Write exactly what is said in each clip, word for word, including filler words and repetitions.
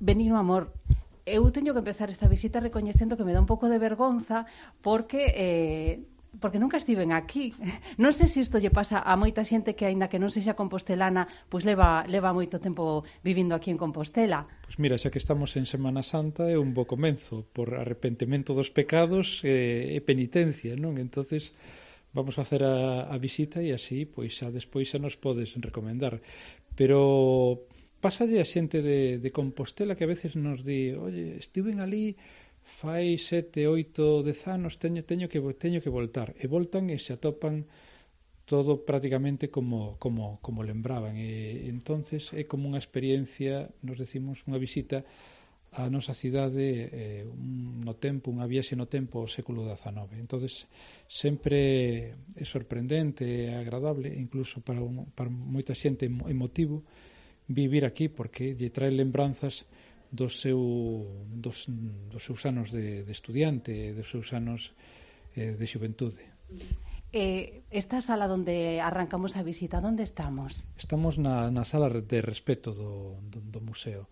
Benigno Amor, eu teño que empezar esta visita recoñecendo que me dá un pouco de vergonza porque eh, porque nunca estiven aquí. Non sei se isto lle pasa a moita xente que, aínda que non sexa compostelana, pois leva, leva moito tempo vivindo aquí en Compostela. Pois mira, xa que estamos en Semana Santa é un bo comenzo por arrepentimento dos pecados e, e penitencia, non? Entonces vamos a facer a, a visita e así, pois xa despois xa nos podes recomendar. Pero pásalle a xente de, de Compostela que a veces nos di, oye, estiven ali fai sete, oito, dez anos, teño, teño, que, teño que voltar. E voltan e se atopan todo prácticamente como, como, como lembraban. E entonces é como unha experiencia, nos decimos, unha visita á nosa cidade eh, un, no tempo, unha viaxe no tempo ao século dezanove. Entonces sempre é sorprendente, é agradable, incluso para, un, para moita xente emotivo vivir aquí, porque lle trae lembranzas dos, seu, dos, dos seus anos de, de estudiante, dos seus anos eh, de xuventude. Eh, esta sala onde arrancamos a visita, onde estamos? Estamos na, na sala de respeto do, do, do museo.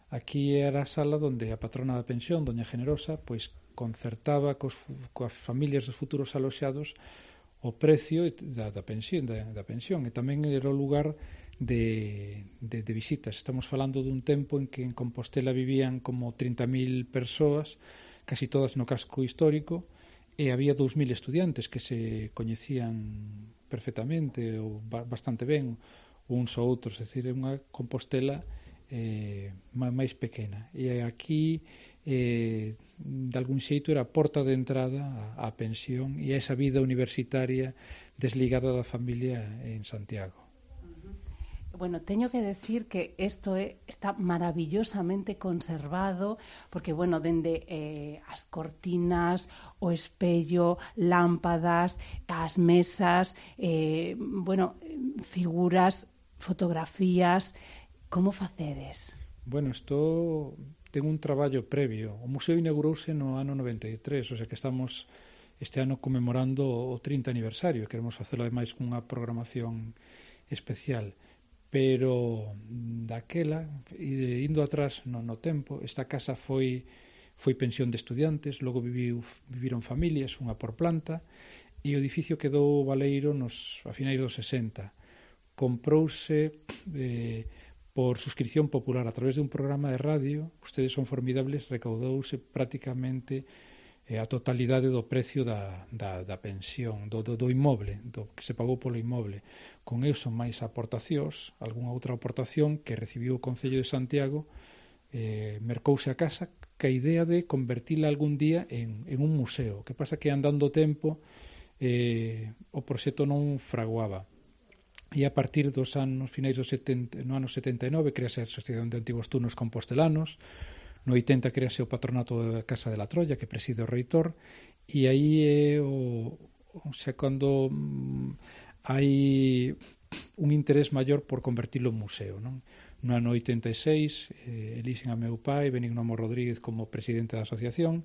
Aquí era a sala onde a patrona da pensión, doña Generosa, pois concertaba cos, coas familias dos futuros aloxados o precio da, da, pensión, da, da pensión, e tamén era o lugar De, de, de visitas. Estamos falando dun tempo en que en Compostela vivían como trinta mil persoas, casi todas no casco histórico, e había dous mil estudiantes que se coñecían perfectamente ou bastante ben uns ou outros, é dicir, é unha Compostela eh, máis pequena. E aquí eh, de algún xeito era a porta de entrada á, á pensión e a esa vida universitaria desligada da familia en Santiago. Bueno, teño que decir que isto é, está maravillosamente conservado, porque, bueno, dende eh, as cortinas, o espello, lámpadas, as mesas, eh, bueno, figuras, fotografías, como facedes? Bueno, isto ten un traballo previo. O museo inaugurouse no ano noventa e tres, o sea que estamos este ano conmemorando o trinta aniversario, queremos facelo ademais cunha programación especial. Pero daquela, indo atrás no, no tempo, esta casa foi foi pensión de estudiantes, logo viviu, viviron familias, unha por planta, e o edificio quedou baleiro nos a finais dos sesenta. Comprouse eh, por suscripción popular a través de un programa de radio, ustedes son formidables, recaudouse prácticamente a totalidade do precio da, da, da pensión, do, do, do inmoble, do que se pagou polo inmoble. Con eso, máis aportacións, algunha outra aportación que recibiu o Concello de Santiago, eh, mercouse a casa ca idea de convertila algún día en, en un museo. Que pasa que andando o tempo eh, o proxecto non fraguaba. E a partir dos anos, finais dos setenta, no ano setenta e nove, crease a Asociación de Antigos Turnos Compostelanos. No oitenta crease o patronato da Casa de la Troya, que preside o reitor, e aí é o, o sea, cando mm, hai un interés maior por convertilo en museo, non? No ano oitenta e seis, eh, elixen a meu pai, Benigno Amor Rodríguez, como presidente da asociación,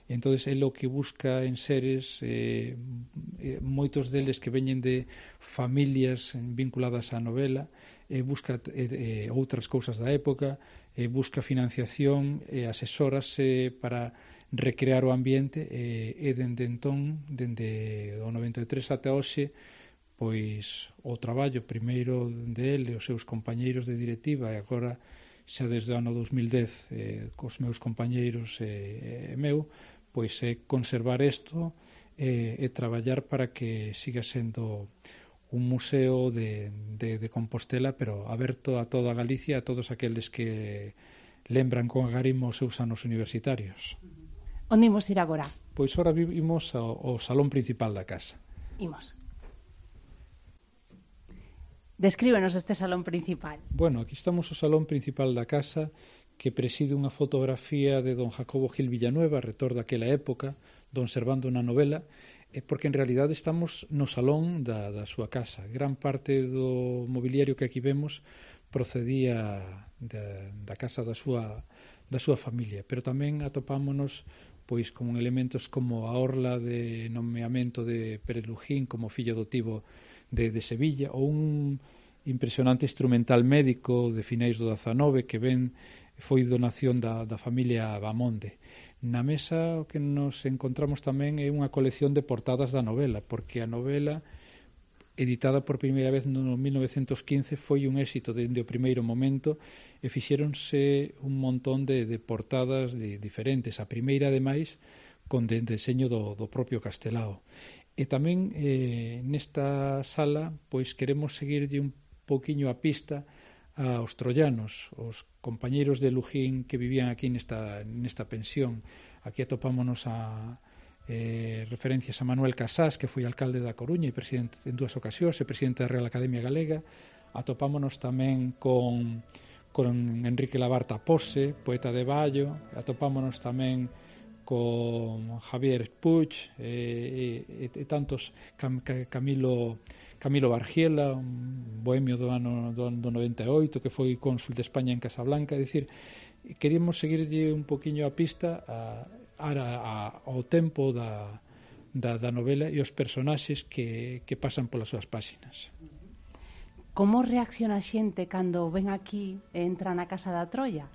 e entonces é o que busca en seres, eh, eh, moitos deles que veñen de familias vinculadas á novela, e busca eh, outras cousas da época, e busca financiación e asesórase para recrear o ambiente, e, e dende entón, dende o noventa e tres ata hoxe, pois o traballo primeiro dele, os seus compañeiros de directiva, e agora xa desde o ano dos mil dez eh, cos meus compañeiros e, e meu, pois é conservar isto e, e traballar para que siga sendo un museo de, de, de Compostela, pero aberto a toda Galicia, a todos aqueles que lembran con agarimo os seus anos universitarios. Onde imos ir agora? Pois ora vivimos ao, ao salón principal da casa. Imos. Descríbenos este salón principal. Bueno, aquí estamos o salón principal da casa, que preside unha fotografía de don Jacobo Gil Villanueva, retor daquela época, don Servando na novela, porque en realidade estamos no salón da, da súa casa. Gran parte do mobiliario que aquí vemos procedía da, da casa da súa, da súa familia, pero tamén atopámonos pois con elementos como a orla de nomeamento de Pérez Lujín como fillo adotivo de, de Sevilla, ou un impresionante instrumental médico de finais do dezanove que ven foi donación da, da familia Bamonde. Na mesa o que nos encontramos tamén é unha colección de portadas da novela, porque a novela, editada por primeira vez no mil novecentos quince, foi un éxito dende o primeiro momento e fixéronse un montón de, de portadas de, diferentes. A primeira, ademais, con de, deseño do, do propio Castelao. E tamén eh, nesta sala pois queremos seguirlle un poquinho a pista aos troianos, os compañeiros de Lujín que vivían aquí nesta, nesta pensión. Aquí atopámonos a eh, referencias a Manuel Casás, que foi alcalde da Coruña e presidente en dúas ocasións, e presidente da Real Academia Galega. Atopámonos tamén con, con Enrique Labarta Pose, poeta de Baio. Atopámonos tamén con Javier Puig e, e, e tantos, Cam, Camilo Camilo Bargiela, un bohemio do ano do, do noventa e oito, que foi cónsul de España en Casablanca. É dicir, queríamos seguirlle un poquinho a pista a, a, a, ao tempo da, da, da novela e os personaxes que, que pasan polas súas páxinas. Como reacciona a xente cando ven aquí e entra na Casa da Troia?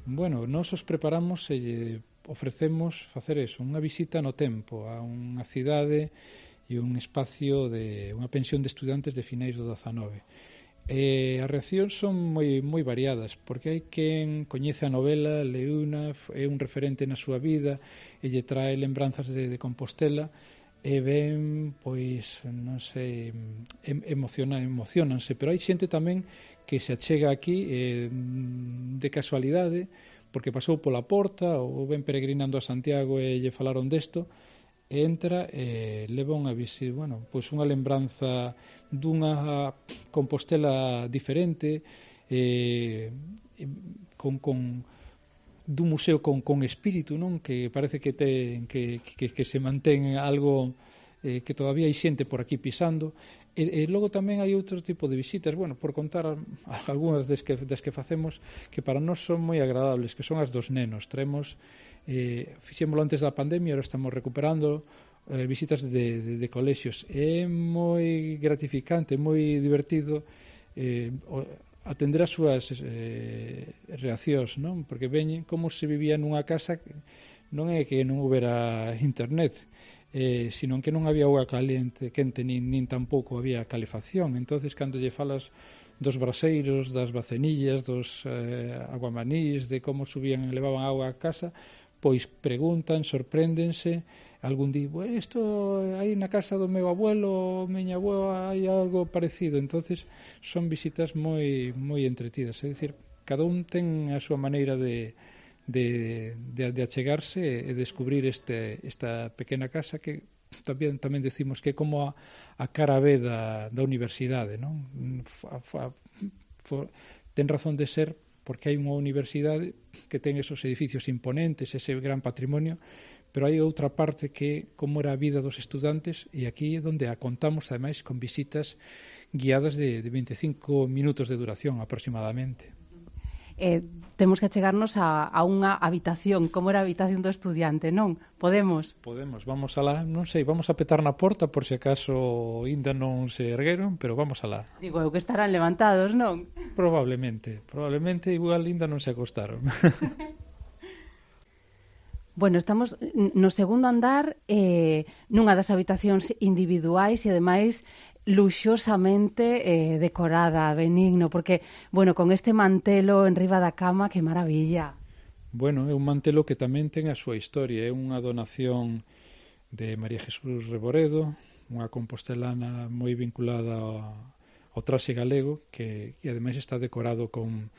Bueno, nós os preparamos e ofrecemos facer eso, unha visita no tempo a unha cidade e un espacio de unha pensión de estudantes de finais do dezanove. E as reaccións son moi moi variadas, porque hai quen coñece a novela, leuna, é un referente na súa vida e lle trae lembranzas de, de Compostela e ven, pois, non sei, emociona, emocionanse, pero hai xente tamén que se achega aquí eh, de casualidade, porque pasou pola porta ou ven peregrinando a Santiago e lle falaron desto, e entra e leva unha visita, bueno, pois unha lembranza dunha Compostela diferente, eh, con, con dun museo con, con espírito, non? Que parece que ten que, que, que se mantén algo eh, que todavía hai xente por aquí pisando. E, e logo tamén hai outro tipo de visitas, bueno, por contar algunhas das que, das que facemos, que para nós son moi agradables, que son as dos nenos. Traemos, eh, fixémolo antes da pandemia, ahora estamos recuperando eh, visitas de, de, de colexios. É moi gratificante, moi divertido eh, atender as súas eh, reaccións, non? Porque veñen como se vivía nunha casa, non é que non houbera internet, Eh, sino que non había auga caliente, quente, nin, nin tampouco había calefacción. Entonces, cando lle falas dos braseiros, das bacenillas, dos eh, aguamanís, de como subían e levaban auga a casa, pois preguntan, sorpréndense, algún di, bueno, isto aí na casa do meu abuelo, miña abuela, hai algo parecido. Entonces, son visitas moi moi entretidas, é dicir, cada un ten a súa maneira de De, de, de achegarse e descubrir este, esta pequena casa que tamén tamén decimos que é como a, a cara B da, da universidade, non? Fa, fa, fa, ten razón de ser porque hai unha universidade que ten esos edificios imponentes, ese gran patrimonio, pero hai outra parte que como era a vida dos estudantes, e aquí é onde a contamos ademais con visitas guiadas de, de veinticinco minutos de duración aproximadamente. Eh, temos que achegarnos a, a unha habitación, como era a habitación do estudiante, non? Podemos? Podemos, vamos alá, non sei, vamos a petar na porta por se acaso ainda non se ergueron, pero vamos alá. Digo, eu que estarán levantados, non? Probablemente, probablemente igual ainda non se acostaron. Bueno, estamos no segundo andar, eh, nunha das habitacións individuais e ademais luxosamente eh, decorada, benigno, porque, bueno, con este mantelo en riba da cama, que maravilla. Bueno, é un mantelo que tamén ten a súa historia, é unha donación de María Jesús Reboredo, unha compostelana moi vinculada ao, ao traxe galego, que e ademais está decorado con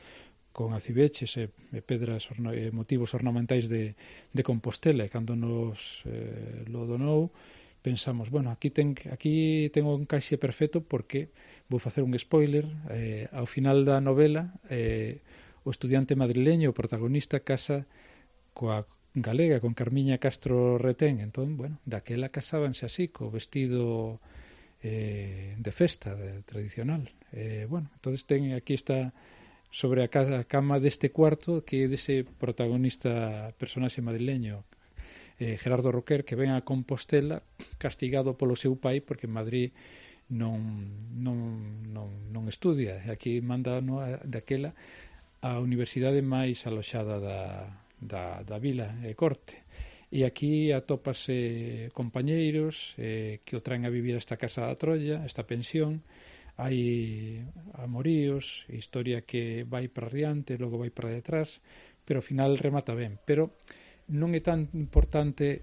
con acibeches e, e pedras orna, e motivos ornamentais de, de Compostela, e cando nos eh, lo donou pensamos, bueno, aquí ten aquí ten un encaixe perfecto, porque vou facer un spoiler, eh, ao final da novela eh, o estudiante madrileño, o protagonista, casa coa galega, con Carmiña Castro Retén. Entón, bueno, daquela casábanse así, co vestido eh, de festa de, tradicional. Eh, bueno, entonces ten aquí está sobre a, casa, a cama deste cuarto, que é dese protagonista personaxe madrileño, eh, Gerardo Roquer, que ven a Compostela castigado polo seu pai porque en Madrid non, non, non, non estudia. E aquí manda no, daquela a universidade máis aloxada da, da, da vila e corte. E aquí atópase compañeiros eh, que o traen a vivir a esta casa da Trolla, esta pensión. Hai amoríos, historia que vai para adiante, logo vai para detrás, pero ao final remata ben. Pero non é tan importante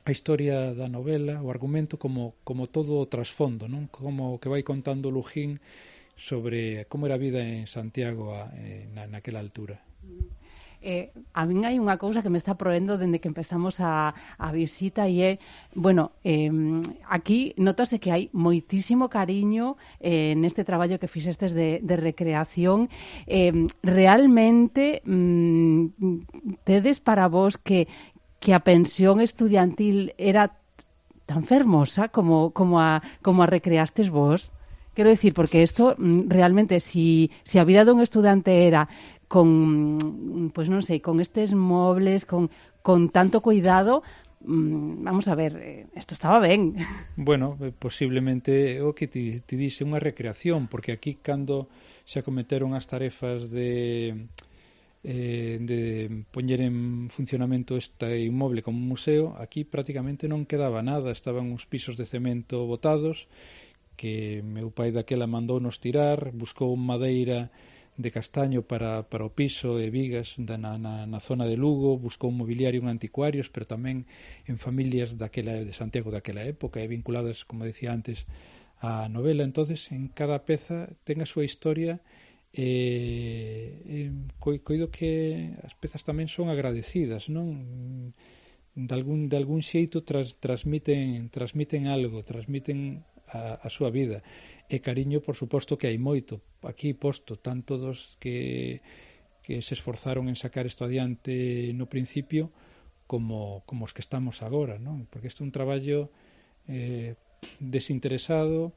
a historia da novela, o argumento, como, como todo o trasfondo, non? Como que vai contando Lujín sobre como era a vida en Santiago a, na, naquela altura. Eh, a min hai unha cousa que me está proendo dende que empezamos a, a visita e é, bueno, eh, aquí notase que hai moitísimo cariño eh, neste traballo que fixestes de, de recreación. Eh, realmente mm, tedes para vos que, que a pensión estudiantil era tan fermosa como, como, a, como a recreastes vos? Quero decir, porque isto realmente, si, si a vida dun estudante era con, pues non sei, con estes mobles, con, con tanto cuidado, mmm, vamos a ver, isto estaba ben. Bueno, posiblemente o que ti, ti dixe unha recreación, porque aquí cando se acometeron as tarefas de eh, de poñer en funcionamento este inmoble como un museo, aquí prácticamente non quedaba nada, estaban uns pisos de cemento botados, que meu pai daquela mandounos tirar, buscou madeira de castaño para, para o piso e vigas da, na, na, na zona de Lugo, buscou un mobiliario en anticuarios, pero tamén en familias daquela, de Santiago daquela época e vinculadas, como decía antes, á novela. Entonces, en cada peza ten a súa historia e, e coido que as pezas tamén son agradecidas, non? De algún, de algún xeito tras, transmiten, transmiten algo, transmiten a, a súa vida. E cariño, por suposto, que hai moito aquí posto, tanto dos que, que se esforzaron en sacar isto adiante no principio como, como os que estamos agora, non? Porque isto é un traballo eh, desinteresado,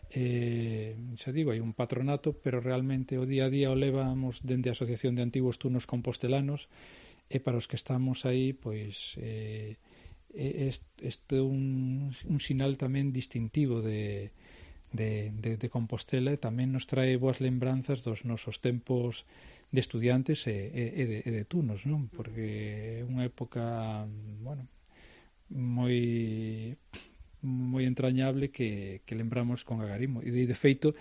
eh, xa digo, hai un patronato, pero realmente o día a día o levamos dende a Asociación de Antigos Turnos Compostelanos, e para os que estamos aí, pois eh, este é un, un sinal tamén distintivo de De, de, de Compostela, e tamén nos trae boas lembranzas dos nosos tempos de estudiantes e, e, de, e de tunos, non? Porque é unha época, bueno, moi moi entrañable que, que lembramos con agarimo. E de, de feito,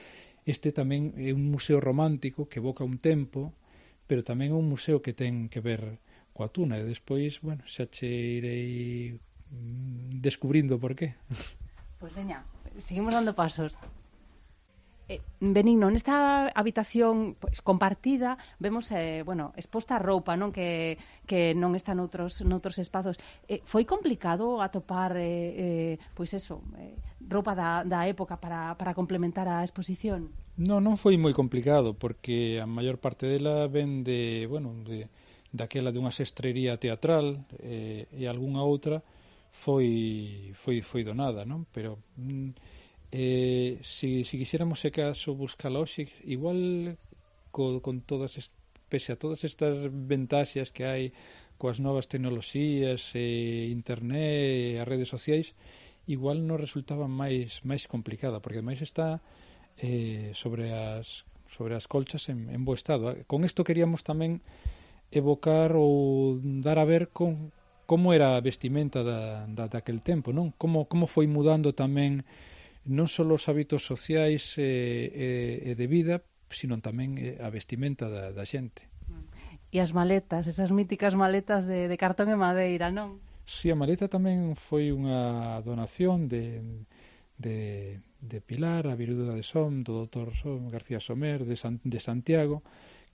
este tamén é un museo romántico que evoca un tempo, pero tamén é un museo que ten que ver coa tuna, e despois, bueno, xa che irei descubrindo por qué. Pois veña, seguimos dando pasos. Eh, Benigno, nesta habitación pois, compartida vemos, eh, bueno, exposta a roupa, non, que, que non está noutros, noutros espazos. Eh, foi complicado atopar eh, eh, pois eso, eh, roupa da, da época para, para complementar a exposición? Non, non foi moi complicado, porque a maior parte dela ven de, bueno, de, daquela dunha sestrería teatral eh, e algunha outra foi foi foi donada, non? Pero eh, si, si quixéramos se caso buscar hoxe, igual co, con todas est, pese a todas estas ventaxas que hai coas novas tecnoloxías, eh, internet, as redes sociais, igual nos resultaba máis máis complicada, porque ademais está eh, sobre as sobre as colchas en, en bo estado. Con isto queríamos tamén evocar ou dar a ver con como era a vestimenta da, da, daquel tempo, non? Como, como foi mudando tamén non só os hábitos sociais e, e, e de vida, sino tamén a vestimenta da, da xente. E as maletas, esas míticas maletas de, de cartón e madeira, non? Si, a maleta tamén foi unha donación de, de, de Pilar, a viruda de Som, do doutor Som, García Somer, de, San, de Santiago,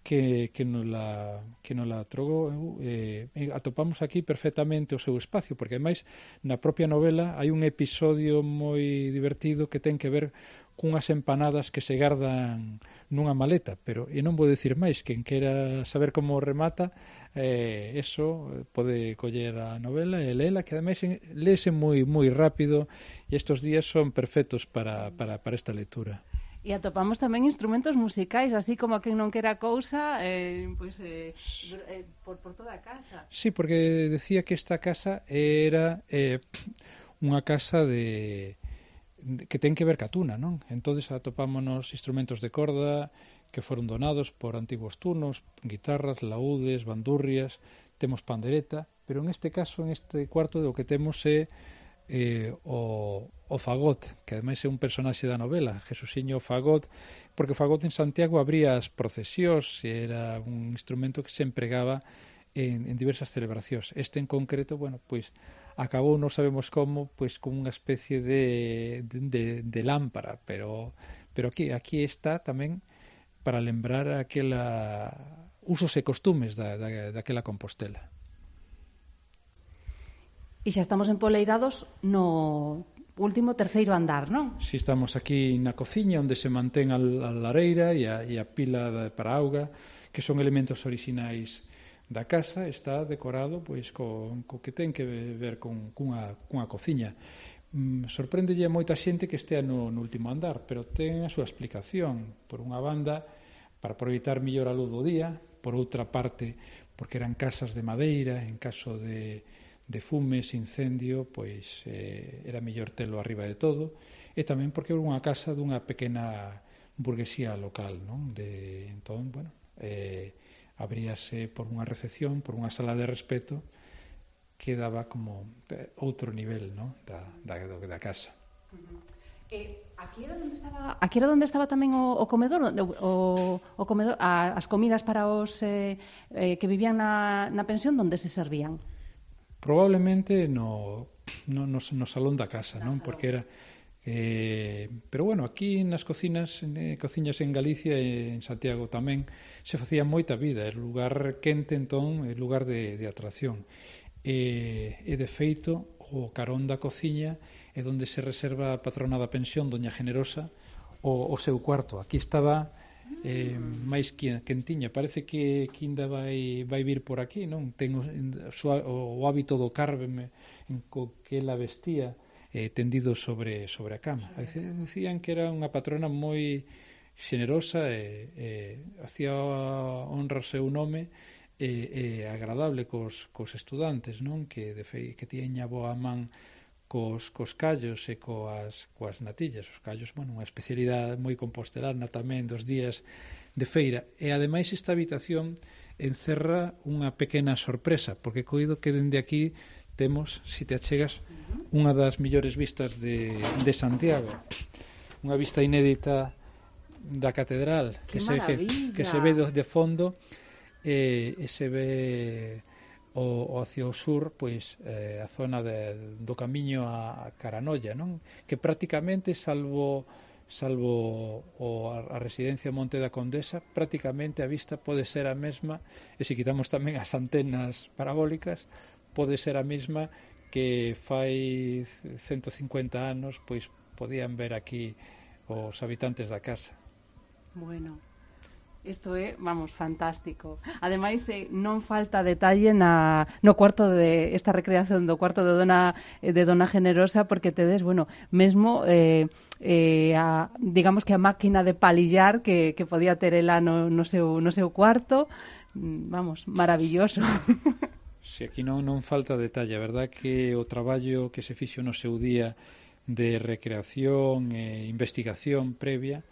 que, que nos la, que nos la trogou, eh, atopamos aquí perfectamente o seu espacio, porque ademais na propia novela hai un episodio moi divertido que ten que ver cunhas empanadas que se gardan nunha maleta, pero e non vou dicir máis, quen quera saber como remata, eh, eso pode coller a novela e leela, que ademais léese moi moi rápido, e estes días son perfectos para, para, para esta lectura. E atopamos tamén instrumentos musicais, así como a quen non quera cousa, eh, pois, eh, eh, por, por toda a casa. Sí, porque decía que esta casa era eh, unha casa de, de que ten que ver ca tuna, non? Entonces atopámonos instrumentos de corda que foron donados por antiguos turnos, guitarras, laúdes, bandurrias, temos pandereta, pero en este caso, en este cuarto, o que temos é eh, o, o fagot, que ademais é un personaxe da novela, Jesusiño Fagot, porque o fagot en Santiago abría as procesións e era un instrumento que se empregaba en, en diversas celebracións. Este en concreto, bueno, pois acabou, non sabemos como, pois con unha especie de, de, de, de lámpara, pero, pero aquí, aquí está tamén para lembrar aquela usos e costumes da, da, daquela Compostela. E xa estamos empoleirados no último terceiro andar, non? Si, estamos aquí na cociña onde se mantén a, a lareira e a, e a pila de, para auga, que son elementos orixinais da casa. Está decorado pois co, co que ten que ver con cunha, cunha cociña. Mm, sorpréndelle a moita xente que estea no, no último andar, pero ten a súa explicación. Por unha banda, para aproveitar mellor a luz do día, por outra parte, porque eran casas de madeira, en caso de, de fumes, incendio, pois eh, era mellor telo arriba de todo, e tamén porque era unha casa dunha pequena burguesía local, non? De, entón, bueno, eh, abríase por unha recepción, por unha sala de respeto, que daba como outro nivel, non? Da, da, da casa. Uh-huh. Eh, aquí era onde estaba, aquí era onde estaba tamén o, o comedor, o, o comedor, a, as comidas para os eh, eh, que vivían na, na pensión, onde se servían? Probablemente no, no, no, no salón da casa, non? Porque era eh, pero bueno, aquí nas cocinas, eh, cociñas en Galicia e en Santiago tamén se facía moita vida, é lugar quente, entón, é lugar de, de atracción. E, e de feito, o carón da cociña é onde se reserva a patrona da pensión, Doña Generosa, o, o seu cuarto. Aquí estaba eh, máis quentiña. Parece que, que ainda vai, vai vir por aquí, non? Ten o, o, o hábito do carme en co que ela vestía, eh, tendido sobre, sobre a cama. Decían que era unha patrona moi xenerosa e, e hacía honra ao seu nome e, e agradable cos, cos estudantes, non? Que, de fei, que tiña boa man cos, cos callos e coas, coas natillas. Os callos, bueno, unha especialidade moi compostelana tamén dos días de feira. E, ademais, esta habitación encerra unha pequena sorpresa, porque coido que dende aquí temos, se te achegas, unha das millores vistas de, de Santiago. Unha vista inédita da catedral, que se, que, que se ve de fondo e, e se ve o, o hacia o sur, pois eh, a zona de, do camiño a Caranolla, non? Que prácticamente, salvo salvo o, a, a residencia Monte da Condesa, prácticamente a vista pode ser a mesma, e se quitamos tamén as antenas parabólicas, pode ser a mesma que fai ciento cincuenta anos, pois podían ver aquí os habitantes da casa. Bueno, isto é, vamos, fantástico. Ademais, eh, non falta detalle na, no cuarto de esta recreación do cuarto de Dona de Dona Generosa, porque tedes, bueno, mesmo eh, eh, a, digamos que a máquina de palillar que, que podía ter ela no, no, seu, no seu cuarto, vamos, maravilloso. Si, aquí non, non falta detalle. A verdad que o traballo que se fixo no seu día de recreación e investigación previa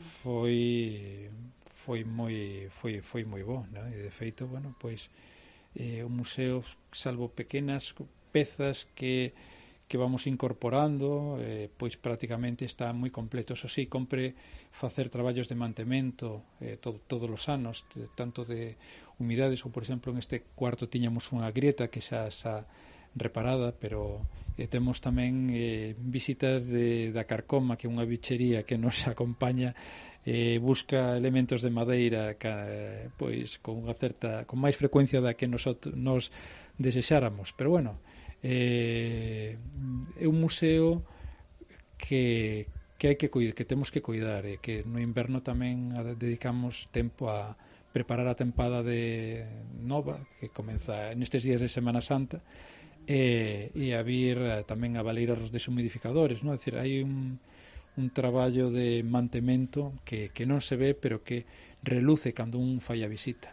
foi foi moi foi foi moi bo, ¿no? E de feito, bueno, pois eh, o museo, salvo pequenas pezas que que vamos incorporando, eh, pois prácticamente está moi completo. Eso sí, compre facer traballos de mantemento eh, todo, todos os anos, de, tanto de humidades, ou por exemplo en este cuarto tiñamos unha grieta que xa está reparada, pero eh, temos tamén eh, visitas de, da Carcoma, que é unha bichería que nos acompaña, eh, busca elementos de madeira ca, pois con unha certa, con máis frecuencia da que nos, nos desexáramos, pero bueno, eh, é un museo que, que hai que cuidar, que temos que cuidar, e que no inverno tamén dedicamos tempo a preparar a tempada de nova, que comeza nestes días de Semana Santa, e, e a vir tamén a valer os deshumidificadores, non? É dicir, hai un, un traballo de mantemento que, que non se ve, pero que reluce cando un fai a visita.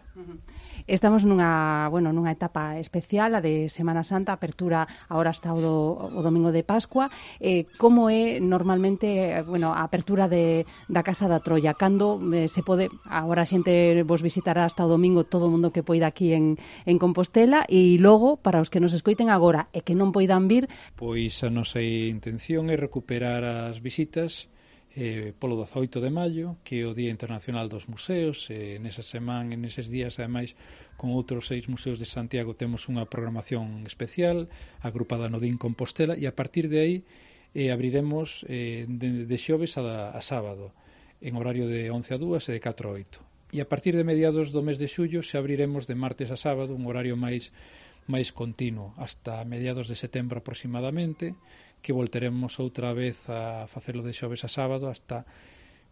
Estamos nunha, bueno, nunha etapa especial, a de Semana Santa, apertura agora hasta o, do, o domingo de Pascua. Eh, como é normalmente, bueno, a apertura de, da Casa da Troia? Cando eh, se pode, agora a xente vos visitará hasta o domingo, todo o mundo que poida aquí en, en Compostela, e logo, para os que nos escoiten agora e que non poidan vir... Pois a nosa intención é recuperar as visitas eh, polo dezaoito de maio, que é o Día Internacional dos Museos. Eh, nesa semana, neses días, ademais, con outros seis museos de Santiago temos unha programación especial agrupada no Dín Compostela, e a partir de aí eh, abriremos eh, de, de xoves a, a sábado en horario de once a dúas e de catro a oito, e a partir de mediados do mes de xullo se abriremos de martes a sábado, un horario máis máis continuo, hasta mediados de setembro aproximadamente, que volteremos outra vez a facelo de xoves a sábado hasta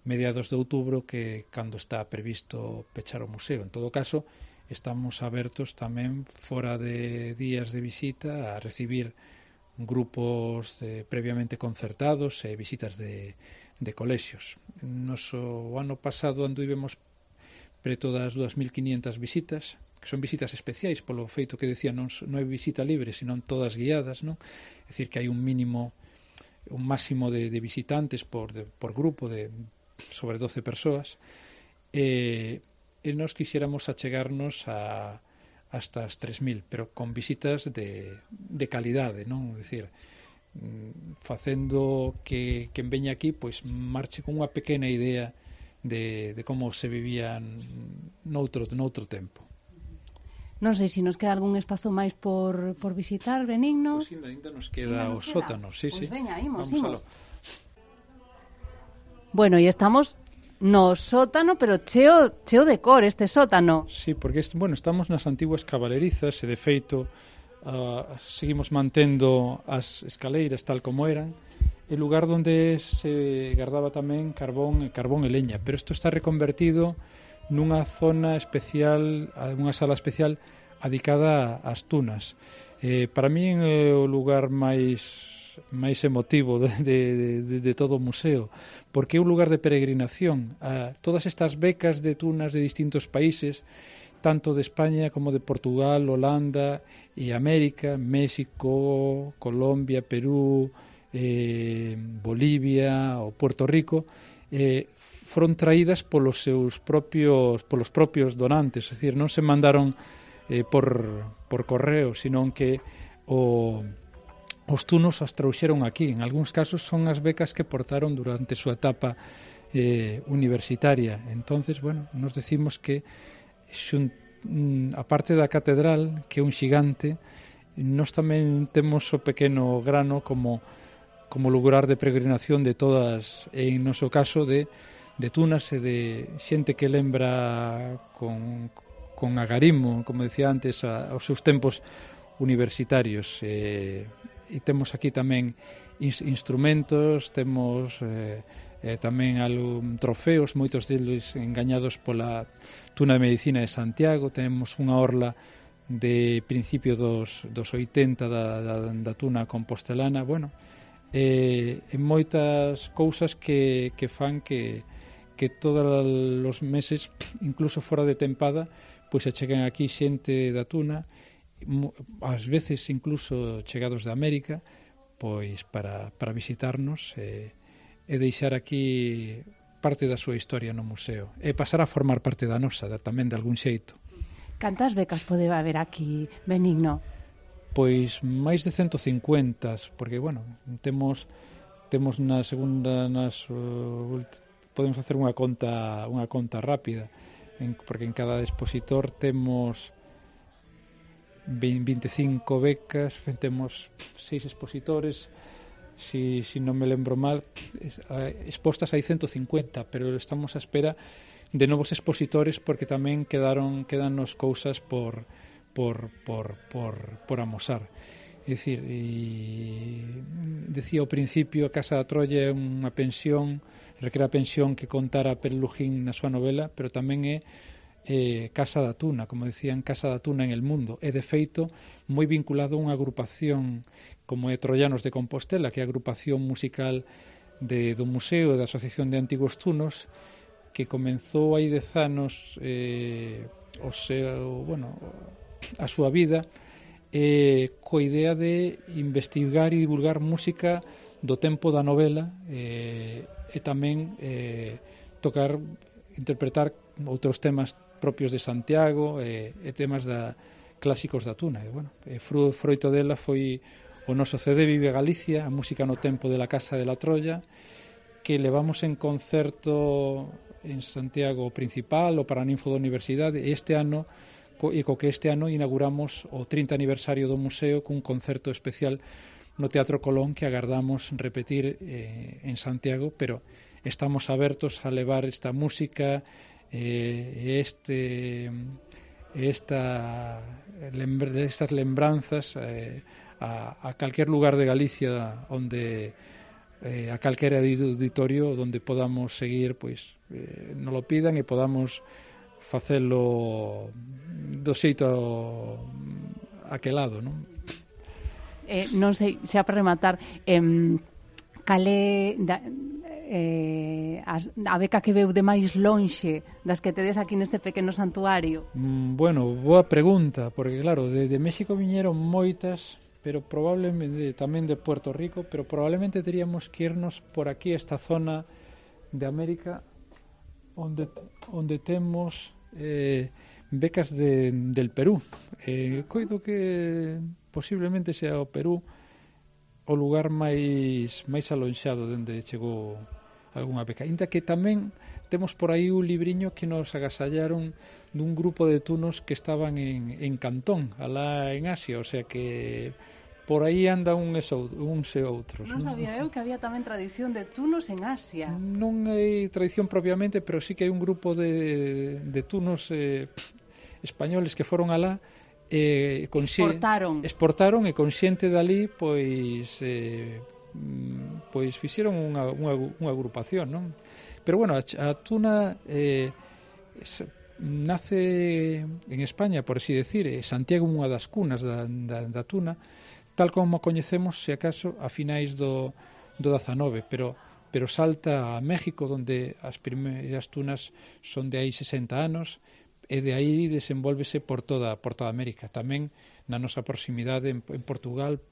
mediados de outubro, que cando está previsto pechar o museo. En todo caso, estamos abertos tamén fora de días de visita a recibir grupos de, previamente concertados e visitas de, de colexios. Noso ano pasado anduvemos preto das dúas mil quiñentas visitas, que son visitas especiais polo feito que decía, non, non é visita libre, senón todas guiadas, non? É dicir, que hai un mínimo, un máximo de, de visitantes por, de, por grupo de sobre doce persoas, e, e nos quixéramos achegarnos a hasta as tres mil, pero con visitas de, de calidade, non? É dicir, facendo que quen veña aquí pois marche con unha pequena idea de, de como se vivían noutro, noutro tempo. Non sei se nos queda algún espazo máis por, por visitar, Benigno. Pois ainda nos queda o sótano, sí, pois sí. Veña, imos, Vamos imos. Bueno, e estamos no sótano, pero cheo, cheo de cor este sótano. Sí, porque est- bueno, estamos nas antiguas cabalerizas e de feito uh, seguimos mantendo as escaleiras tal como eran, e lugar onde se guardaba tamén carbón e carbón e leña, pero isto está reconvertido nunha zona especial, unha sala especial adicada ás tunas. Eh, para mí é o lugar máis máis emotivo de, de, de, de todo o museo, porque é un lugar de peregrinación. A todas estas becas de tunas de distintos países, tanto de España como de Portugal, Holanda e América, México, Colombia, Perú, eh, Bolivia ou Puerto Rico, eh, foron traídas polos seus propios polos propios donantes, é dicir, non se mandaron eh, por, por correo, senón que o, os tunos as trouxeron aquí. En algúns casos son as becas que portaron durante a súa etapa eh, universitaria. Entonces, bueno, nos decimos que xun, a parte da catedral, que é un xigante, nós tamén temos o pequeno grano como como lugar de peregrinación de todas, en noso caso, de, de tunas e de xente que lembra con, con agarimo, como decía antes, a, aos seus tempos universitarios. E, e temos aquí tamén ins, instrumentos, temos eh, eh, tamén algún trofeos, moitos deles engañados pola Tuna de Medicina de Santiago. Temos unha orla de principio dos, dos oitenta da, da, da Tuna compostelana. Bueno, e, e moitas cousas que, que fan que, que todos os meses, incluso fora de tempada, pois se cheguen aquí xente da Tuna, ás veces incluso chegados de América, pois para, para visitarnos e, e deixar aquí parte da súa historia no museo e pasar a formar parte da nosa, da, tamén de algún xeito. Cantas becas pode haber aquí, Benigno? Pois máis de cento cincuenta, porque, bueno, temos temos na segunda, nas uh, podemos facer unha conta unha conta rápida, en, porque en cada expositor temos veinte e cinco becas, temos seis expositores, si, si non me lembro mal, expostas hai cento cincuenta, pero estamos a espera de novos expositores porque tamén quedaron quedanos cousas por por, por, por, por amosar. É dicir, e decía ao principio, a Casa da Troia é unha pensión, requere a pensión que contara Perlujín na súa novela, pero tamén é eh, Casa da Tuna, como decían, Casa da Tuna en el mundo, e de feito moi vinculado a unha agrupación como é Troianos de Compostela, que é a agrupación musical de, do Museo e da Asociación de Antigos Tunos, que comenzou hai dez anos eh, o seu, bueno, a súa vida eh, coa idea de investigar e divulgar música do tempo da novela eh, e tamén eh, tocar, interpretar outros temas propios de Santiago e, e temas da clásicos da tuna. E, bueno, e fru, froito dela foi o noso C D Vive Galicia, a música no tempo de la Casa de la Troya, que levamos en concerto en Santiago principal, o Paraninfo da Universidade, e este ano e co que este ano inauguramos o trinta aniversario do museo cun concerto especial no Teatro Colón que agardamos repetir eh, en Santiago, pero estamos abertos a levar esta música e eh, este esta lembra, estas lembranzas eh, a, a calquer lugar de Galicia onde eh, a calquera auditorio onde podamos seguir, pois eh, nos lo pidan e podamos facelo do xeito aquelado, non? Eh, non sei, xa para rematar, eh, cale da, eh, as, a beca que veu de máis lonxe das que tedes aquí neste pequeno santuario? Mm, bueno, boa pregunta, porque claro, de, de México viñeron moitas, pero probablemente tamén de Puerto Rico, pero probablemente teríamos que irnos por aquí, esta zona de América, onde, onde temos eh, becas de, del Perú. Eh, coido que posiblemente sea o Perú o lugar máis máis alonxado dende chegou algunha beca. Inda que tamén temos por aí un libriño que nos agasallaron dun grupo de tunos que estaban en, en Cantón, alá en Asia, o sea que por aí anda un e uns e outros. Non sabía eu que había tamén tradición de tunos en Asia. Non hai tradición propiamente, pero sí que hai un grupo de, de tunos eh, españoles que foron alá eh, exportaron. exportaron e consciente dali pois eh, pois fixeron unha, unha, unha agrupación, non? Pero bueno, a, a tuna eh, nace en España, por así decir, e Santiago é unha das cunas da, da, da tuna, tal como coñecemos, se acaso, a finais do, do dezanove, pero, pero salta a México, onde as primeiras tunas son de aí sesenta anos, e de aí desenvolvese por toda, por toda América. Tamén na nosa proximidade en, en Portugal,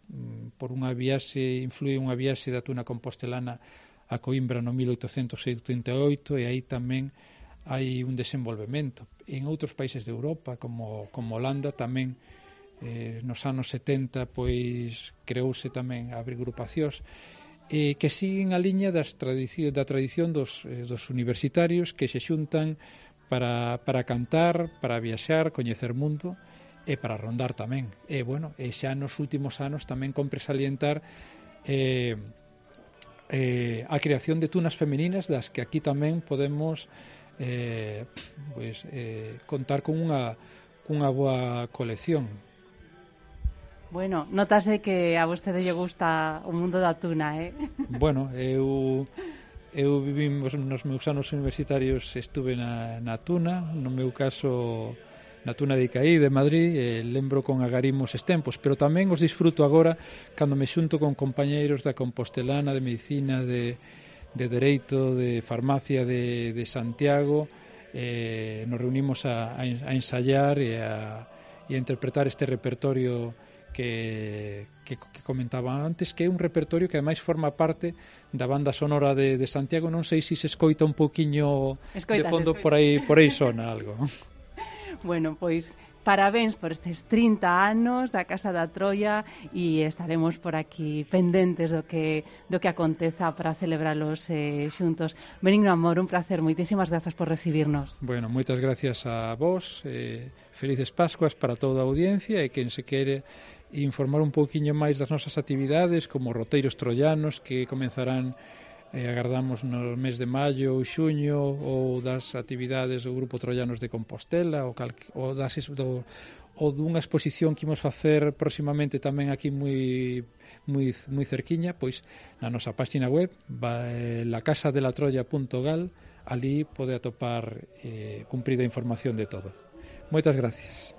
por unha viaxe, influi unha viaxe da tuna compostelana a Coimbra no mil oitocentos setenta e oito, e aí tamén hai un desenvolvemento. En outros países de Europa, como, como Holanda, tamén eh, nos anos setenta pois creouse tamén a agrupacións eh, que siguen a liña das tradición, da tradición dos, eh, dos universitarios que se xuntan para, para cantar, para viaxar, coñecer mundo e para rondar tamén. E, bueno, e xa nos últimos anos tamén compre salientar eh, eh, a creación de tunas femeninas das que aquí tamén podemos eh, pois, eh, contar con unha, cunha boa colección. Bueno, notase que a vostede lle gusta o mundo da tuna, eh? Bueno, eu eu vivimos nos meus anos universitarios, estuve na, na tuna, no meu caso na tuna de Icaí, de Madrid, e lembro con agarimos os tempos, pero tamén os disfruto agora cando me xunto con compañeiros da Compostelana, de Medicina, de, de Dereito, de Farmacia de, de Santiago, eh, nos reunimos a, a ensayar e a, e a interpretar este repertorio Que, que, que comentaba antes, que é un repertorio que ademais forma parte da banda sonora de, de Santiago. Non sei se se escoita un poquinho de fondo, por aí, por aí sona algo. Bueno, pois parabéns por estes trinta anos da Casa da Troia e estaremos por aquí pendentes do que do que aconteza para celebralos eh, xuntos. Benigno Amor, un placer, moitísimas grazas por recibirnos. Bueno, moitas gracias a vos, eh, felices Pascuas para toda a audiencia, e quen se quere informar un pouquiño máis das nosas actividades, como roteiros troianos que comenzarán eh, agardamos no mes de maio ou xuño, ou das actividades do Grupo Troianos de Compostela, ou, cal, ou, das, do, ou dunha exposición que imos facer próximamente tamén aquí moi, moi, moi cerquiña, pois na nosa página web eh, la casa de la troya punto gal, ali pode atopar eh, cumprida información de todo. Moitas gracias.